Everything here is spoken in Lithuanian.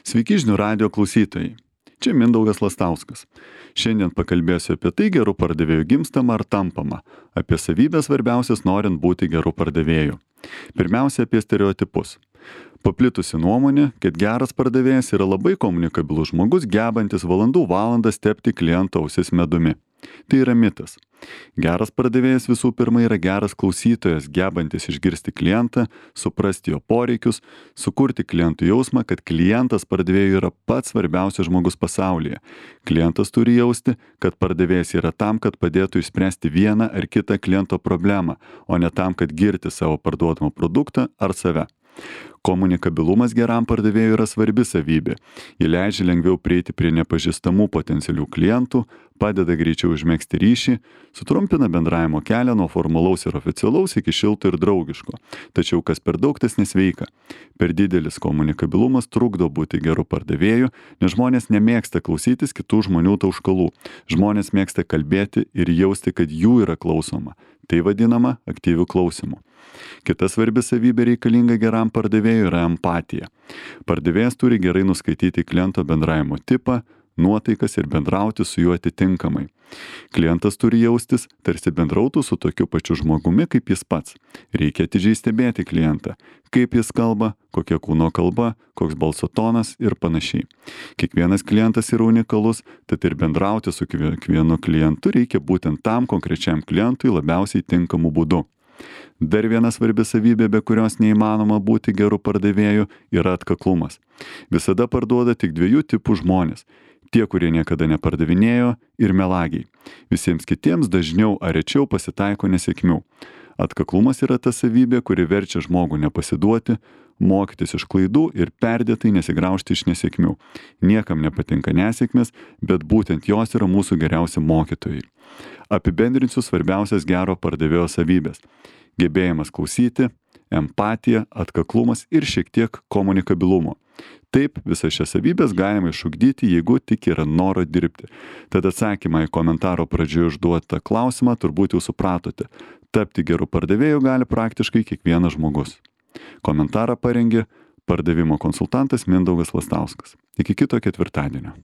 Sveiki žinių radio klausytojai. Čia Mindaugas Lastauskas. Šiandien pakalbėsiu apie tai, gerų pardavėjų gimstama ar tampama, apie savybės svarbiausias norint būti gerų pardavėjų. Pirmiausia, apie stereotipus. Paplitusi nuomonė, kad geras pardavėjas yra labai komunikabilus žmogus, gebantis valandų valandas tepti kliento ausis medumi. Tai yra mitas. Geras pardavėjas visų pirma yra geras klausytojas, gebantis išgirsti klientą, suprasti jo poreikius, sukurti klientų jausmą, kad klientas pardavėjui yra pats svarbiausias žmogus pasaulyje. Klientas turi jausti, kad pardavėjas yra tam, kad padėtų išspręsti vieną ar kitą kliento problemą, o ne tam, kad girti savo parduodamą produktą ar save. Komunikabilumas geram pardavėjui yra svarbi savybė. Ji leidžia lengviau prieiti prie nepažįstamų potencialių klientų, padeda greičiau užmegzti ryšį, sutrumpina bendravimo kelią nuo formalaus ir oficialaus iki šilto ir draugiško. Tačiau kas per daug, tas nesveika. Per didelis komunikabilumas trukdo būti geru pardavėju, nes žmonės nemėgsta klausytis kitų žmonių tauškalų. Žmonės mėgsta kalbėti ir jausti, kad jų yra klausoma. Tai vadinama aktyviu klausimu. Kita svarbi savybė reikalinga geram pardavėjui yra empatija. Pardavėjas turi gerai nuskaityti kliento bendravimo tipą, nuotaikas ir bendrauti su juo atitinkamai. Klientas turi jaustis, tarsi bendrautų su tokiu pačiu žmogumi kaip jis pats. Reikia atidžiai stebėti klientą, kaip jis kalba, kokia kūno kalba, koks balso tonas ir panašiai. Kiekvienas klientas yra unikalus, tad ir bendrauti su kiekvienu klientu reikia būtent tam konkrečiam klientui labiausiai tinkamu būdu. Dar viena svarbi savybė, be kurios neįmanoma būti geru pardavėju, yra atkaklumas. Visada parduoda tik dviejų tipų žmonės. Tie, kurie niekada nepardavinėjo, ir melagiai. Visiems kitiems dažniau ar rečiau pasitaiko nesėkmių. Atkaklumas yra ta savybė, kuri verčia žmogų nepasiduoti, mokytis iš klaidų ir perdėtai nesigraužti iš nesėkmių. Niekam nepatinka nesėkmės, bet būtent jos yra mūsų geriausi mokytojai. Apibendrinsiu svarbiausias gero pardavėjo savybės. Gebėjimas klausyti, empatija, atkaklumas ir šiek tiek komunikabilumo. Taip, visas šias savybės galima išugdyti, jeigu tik yra noro dirbti. Tad atsakymą į komentaro pradžioje užduotą klausimą turbūt jau supratote. Tapti geru pardavėju gali praktiškai kiekvienas žmogus. Komentarą parengė pardavimo konsultantas Mindaugas Lastauskas. Iki kito ketvirtadienio.